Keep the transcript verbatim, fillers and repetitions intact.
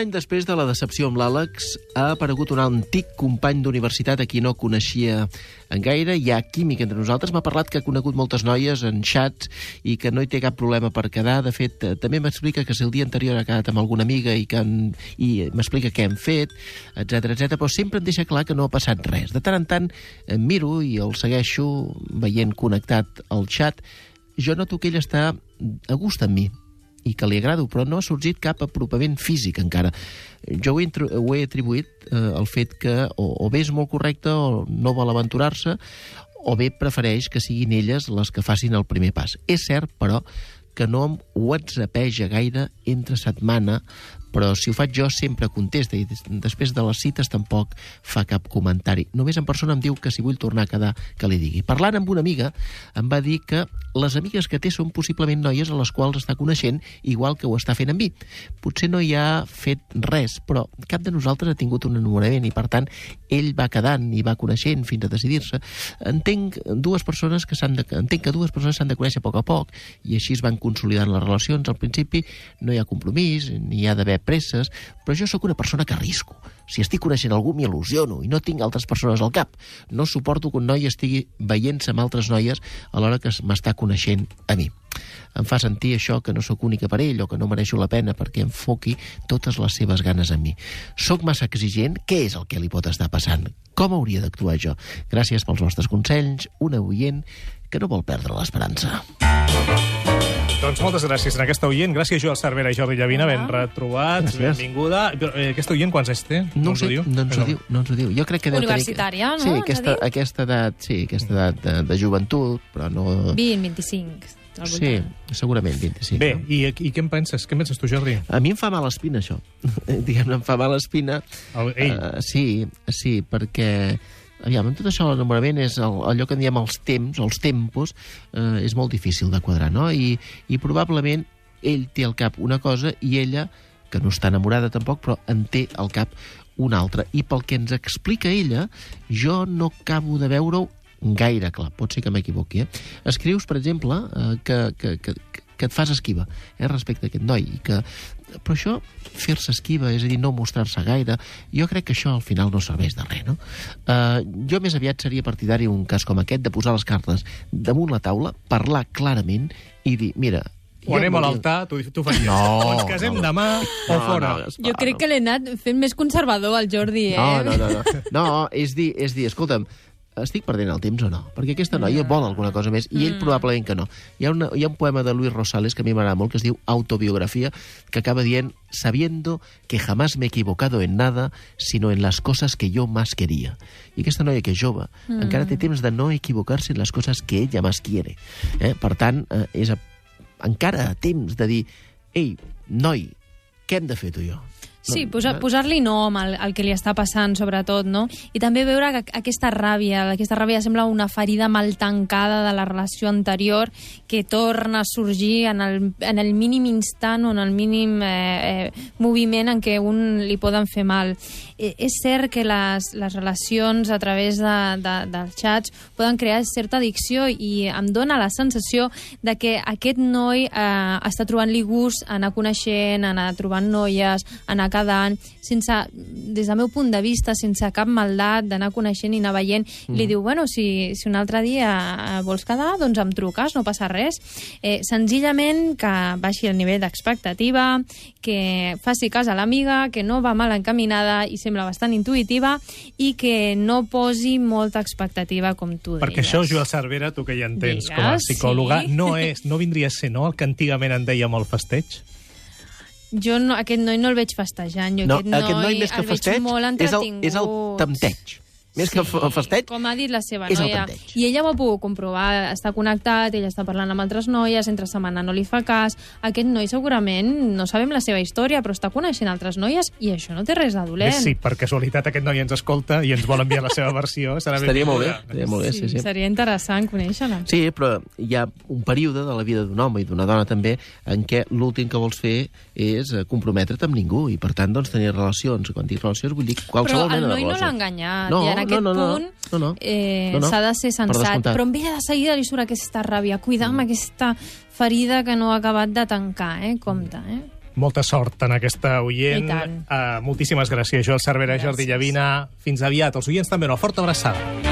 any després de la decepció amb l'Àlex, ha aparegut un antic company d'universitat a qui no coneixia en gaire. Hi ha química entre nosaltres. M'ha parlat que ha conegut moltes noies en xats i que no hi té cap problema per quedar. De fet, també m'explica que si el dia anterior ha quedat amb alguna amiga i, que han, i m'explica què hem fet, etcètera, etcètera, però sempre em deixa clar que no ha passat res. De tant en tant em miro i el segueixo veient connectat al xat. Jo noto que ell està a gust amb mi i que li agrado, però no ha sorgit cap apropament físic encara. Jo ho he, ho he atribuït eh, al fet que o, o bé és molt correcte o no vol aventurar-se, o bé prefereix que siguin elles les que facin el primer pas. És cert, però, que no em whatsappeja gaire entre setmana, però si ho faig jo sempre contesta i després de les cites tampoc fa cap comentari. Només en persona em diu que si vull tornar a quedar que li digui. Parlant amb una amiga em va dir que les amigues que té són possiblement noies a les quals està coneixent igual que ho està fent amb mi. Potser no hi ha fet res, però cap de nosaltres ha tingut un enamorament i per tant ell va quedant i va coneixent fins a decidir-se. Entenc dues persones que s'han de, entenc que dues persones s'han de conèixer a poc a poc i així es van consolidant les relacions. Al principi no hi ha compromís, ni hi ha d'haver presses, però jo sóc una persona que arrisco. Si estic coneixent algú m'hi il·lusiono i no tinc altres persones al cap. No suporto que un noi estigui veient-se amb altres noies a l'hora que m'està coneixent a mi. Em fa sentir això que no sóc única per ell o que no mereixo la pena perquè enfoqui totes les seves ganes en mi. Sóc massa exigent? Què és el que li pot estar passant? Com hauria d'actuar jo? Gràcies pels vostres consells. Una oient que no vol perdre l'esperança. Doncs moltes gràcies a aquesta oient. Gràcies, Joel Cervera i Jordi Llavina. Ben retrobats. Gràcies. Benvinguda. Però, eh, aquesta oient quants anys té? No, no ho sé, diu? no ens ho diu. No ens ho diu. Jo crec que deu Universitària, tenir... no? Sí, aquesta, aquesta edat, sí, aquesta edat de, de joventut, però no... vint, vint-i-cinc. Sí, segurament vint-i-cinc. Bé, no? i, i què en penses? Què en penses tu, Jordi? A mi em fa mala espina, això. Diguem-ne, em fa mala espina. El, ell? Uh, sí, sí, perquè... Aviam, amb tot això l'enamorament és el, allò que en diem els temps, els tempos, eh, és molt difícil de quadrar, no? I, I probablement ell té al cap una cosa i ella, que no està enamorada tampoc, però en té al cap una altra. I pel que ens explica ella, jo no acabo de veure-ho gaire clar. Pot ser que m'equivoqui, eh? Escrius, per exemple, eh, que, que, que, que et fas esquiva eh, respecte a aquest noi. I que... Però això, fer-se esquiva, és a dir, no mostrar-se gaire, jo crec que això al final no serveix de res, no? Uh, jo més aviat seria partidari un cas com aquest, de posar les cartes damunt la taula, parlar clarament i dir, mira... O anem a l'altar, tu, tu faries. No, o ens casem no. demà o no, fora. No, jo crec no. que l'he anat fent més conservador, el Jordi, eh? No, no, no. No, no és dir, és dir, escolta'm, estic perdent el temps o no? Perquè aquesta noia vol alguna cosa més i ell probablement que no. Hi ha, una, hi ha un poema de Luis Rosales que a mi m'agrada molt, que es diu Autobiografia, que acaba dient, sabiendo que jamás me he equivocado en nada, sino en las cosas que yo más quería. I aquesta noia que és jove mm. encara té temps de no equivocar-se en les coses que ella más quiere. Eh? Per tant, eh, és a, encara temps de dir, ei, noi, què hem de fer tu i jo? Sí, posar, posar-li nom al, al que li està passant, sobretot, no? I també veure que aquesta ràbia, aquesta ràbia sembla una ferida mal tancada de la relació anterior que torna a sorgir en el, en el mínim instant o en el mínim eh, eh, moviment en què un li poden fer mal. Eh, és cert que les, les relacions a través de, de, dels xats poden crear certa addicció i em dóna la sensació de que aquest noi eh, està trobant-li gust a anar coneixent, a anar trobant noies, a anar cada any, sense, des del meu punt de vista, sense cap maldat, d'anar coneixent i anar veient, mm. li diu, bueno, si, si un altre dia vols quedar, doncs em truques, no passa res. Eh, senzillament que baixi el nivell d'expectativa, que faci cas a l'amiga, que no va mal encaminada i sembla bastant intuïtiva i que no posi molta expectativa, com tu deies. Perquè això, Joel Cervera, tu que ja entens Digues, com a psicòloga, sí. no, és, no vindria a ser, no?, el que antigament en dèiem el festeig? Jo no, aquest noi no el veig festejant. Jo no, aquest, noi aquest noi més que festeig és el, és el tempteig. Més sí, que el festeig, com ha dit la seva és noia. el tempteig. I ella ho ha pogut comprovar, està connectat, ella està parlant amb altres noies, entre setmana no li fa cas. Aquest noi segurament, no sabem la seva història, però està coneixent altres noies i això no té res de dolent. Sí, per casualitat aquest noi ens escolta i ens vol enviar la seva versió. Serà Estaria molt bé. Estaria molt bé, sí, sí. Sí, seria interessant conèixer-la. Sí, però hi ha un període de la vida d'un home i d'una dona també en què l'últim que vols fer és comprometre't amb ningú i per tant doncs tenir relacions. Quan dic relacions vull dir qualsevol mena de relació. Però el noi no l'ha enganyat no, i en aquest no, no, no. punt No, no. Eh, no, no. s'ha de ser sensat, però amb ella de seguida li surt aquesta ràbia, cuidar amb aquesta ferida que no ha acabat de tancar, eh? Compte, eh? Molta sort en aquesta oient. I tant. Uh, moltíssimes gràcies, Joel Cervera, Gràcies. Jordi Llavina. Fins aviat. Els oients també, una forta abraçada.